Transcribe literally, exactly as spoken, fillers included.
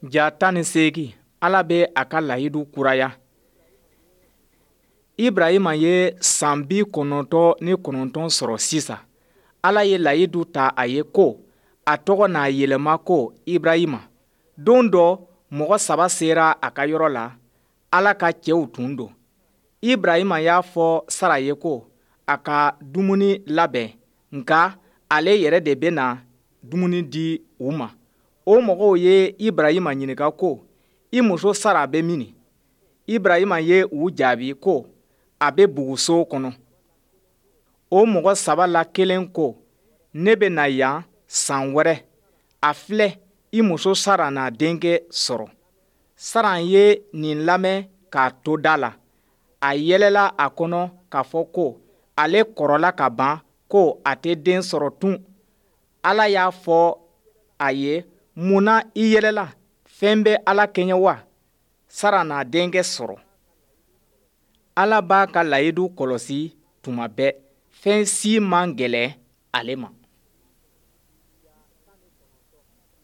Ja tan ni seegin, Ala bɛ a ka layidu kuraya. Ibrahima ye san bi kɔnɔntɔn ni kɔnɔntɔn sɔrɔ sisan. Ala ye layidu ta a ye ko a tɔgɔ n'a yɛlɛma ko Ibrahima. Don dɔ, mɔgɔ saba sera a ka yɔrɔ la, Ala ka cɛw tun don. Ibrahima y'a fɔ Sara ye ko a ka dumuni labɛn, nka ale yɛrɛ de bɛna dumuni di u ma. O mɔgɔw ye Ibrahima ɲininka ko, I muso Sara bɛ mini? Ibrahima ye u jaabi ko, a bɛ buguso kɔnɔ. O mɔgɔ saba la kelen ko, Ne bɛ na yan san wɛrɛ, a filɛ, i muso Sara na denkɛ sɔrɔ. Sara ye nin lamɛn k'a to da la. A yɛlɛla a kɔnɔ k'a fɔ ko ale kɔrɔla ka ban, ko a tɛ den sɔrɔ tun. Ala y'a fɔ a ye, Mun na i yɛlɛla? Fɛn bɛ Ala kɛɲɛ wa? Sara na denkɛ sɔrɔ. Ala b'a ka layidu kɔlɔsi tuma bɛɛ. Fɛn si man gɛlɛn ale ma.